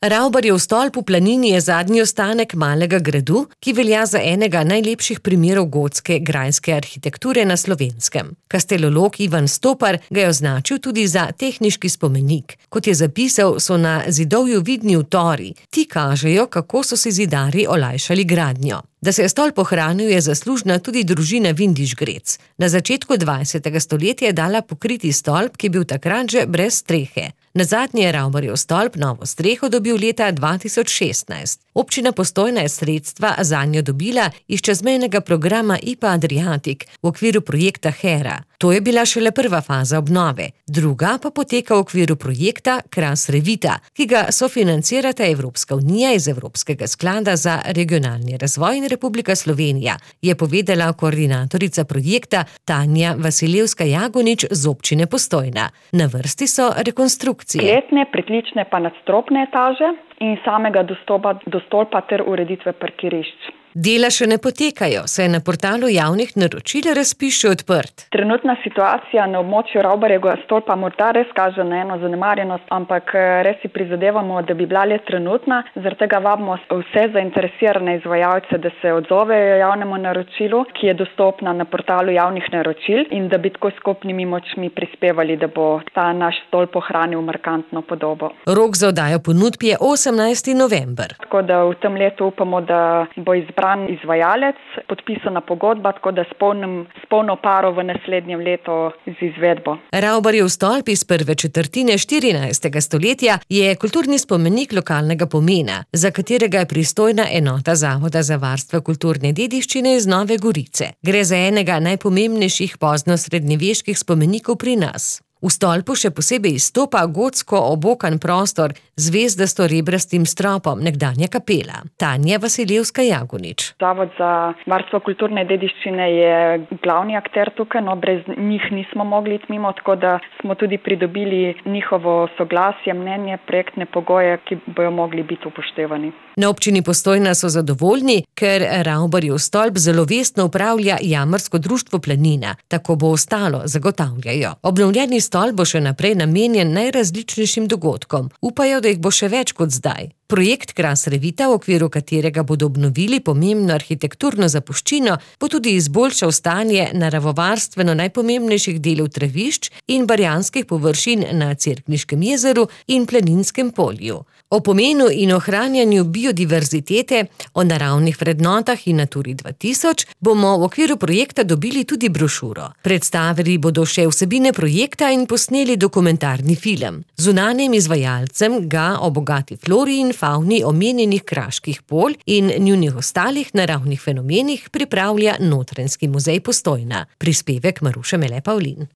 Ravbarjev stolp v planini je zadnji ostanek malega gradu, ki velja za enega najlepših primerov gotske grajske arhitekture na Slovenskem. Kastelolog Ivan Stopar ga je označil tudi za tehniški spomenik. Kot je zapisal, so na zidovju vidni utori. Ti kažejo, kako so si zidarji olajšali gradnjo. Da se je stolp ohranil, je zaslužna tudi družina Vindiš-Grec. Na začetku 20. stoletja je dala pokriti stolp, ki je bil takrat že brez strehe. Nazadnje je Ravbarjev stolp novo streho dobil leta 2016. Občina Postojna je sredstva zanjo dobila iz čezmejnega programa IPA Adriatic v okviru projekta Hera. To je bila šele prva faza obnove. Druga pa poteka v okviru projekta Kras Revita, ki ga sofinancirata Evropska unija iz Evropskega sklada za regionalni razvoj in Republika Slovenija, je povedala koordinatorica projekta Tanja Vasilevska-Jagonič z občine Postojna. Na vrsti so rekonstrukcije. Kletne, pritlične pa nadstropne etaže in samega dostopa do stolpa ter ureditve parkirišč. Dela še ne potekajo, saj je na portalu javnih naročil razpis še odprt. Trenutna situacija na območju Ravbarjevega stolpa morda res kaže na eno zanemarjenost, ampak res si prizadevamo, da bi bila le trenutna. Zaradi tega vabimo vse zainteresirane izvajalce, da se odzovejo javnemu naročilu, ki je dostopna na portalu javnih naročil, in da bi tako skupnimi močmi prispevali, da bo ta naš stolp ohranil markantno podobo. Rok za oddajo ponudb je 18. november. Tako da v tem letu upamo, da bo izbran izvajalec, podpisana pogodba, tako da s polno paro v naslednjem letu z izvedbo. Ravbarjev stolp iz prve četrtine 14. stoletja je kulturni spomenik lokalnega pomena, za katerega je pristojna enota Zavoda za varstvo kulturne dediščine iz Nove Gorice. Gre za enega najpomembnejših poznosrednjeveških spomenikov pri nas. V stolpu še posebej izstopa gotsko obokan prostor z zvezdasto rebrastim stropom, nekdanja kapela. Tanja Vasilevska-Jagonič. Zavod za varstvo kulturne dediščine je glavni akter tukaj, brez njih nismo mogli iti mimo, tako da smo tudi pridobili njihovo soglasje, mnenje, projektne pogoje, ki bojo mogli biti upoštevani. Na občini Postojna so zadovoljni, ker Ravbarjev stolp zelo vestno upravlja Jamarsko društvo Planina. Tako bo ostalo, zagotavljajo. Obnovljeni stolp bo še naprej namenjen najrazličnejšim dogodkom. Upajo, da jih bo še več kot zdaj. Projekt Kras Revita, v okviru katerega bodo obnovili pomembno arhitekturno zapuščino, bo tudi izboljšal stanje naravovarstveno najpomembnejših delov travišč in barjanskih površin na Cerkniškem jezeru in Planinskem polju. O pomenu in ohranjanju biodiverzitete, o naravnih vrednotah in Naturi 2000 bomo v okviru projekta dobili tudi brošuro. Predstavili bodo še vsebine projekta in posneli dokumentarni film. Zunanjim izvajalcem ga o bogati flori in favni omenjenih kraških polj in njunih ostalih naravnih fenomenih pripravlja Notranjski muzej Postojna. Prispevek Maruše Mele Pavlin.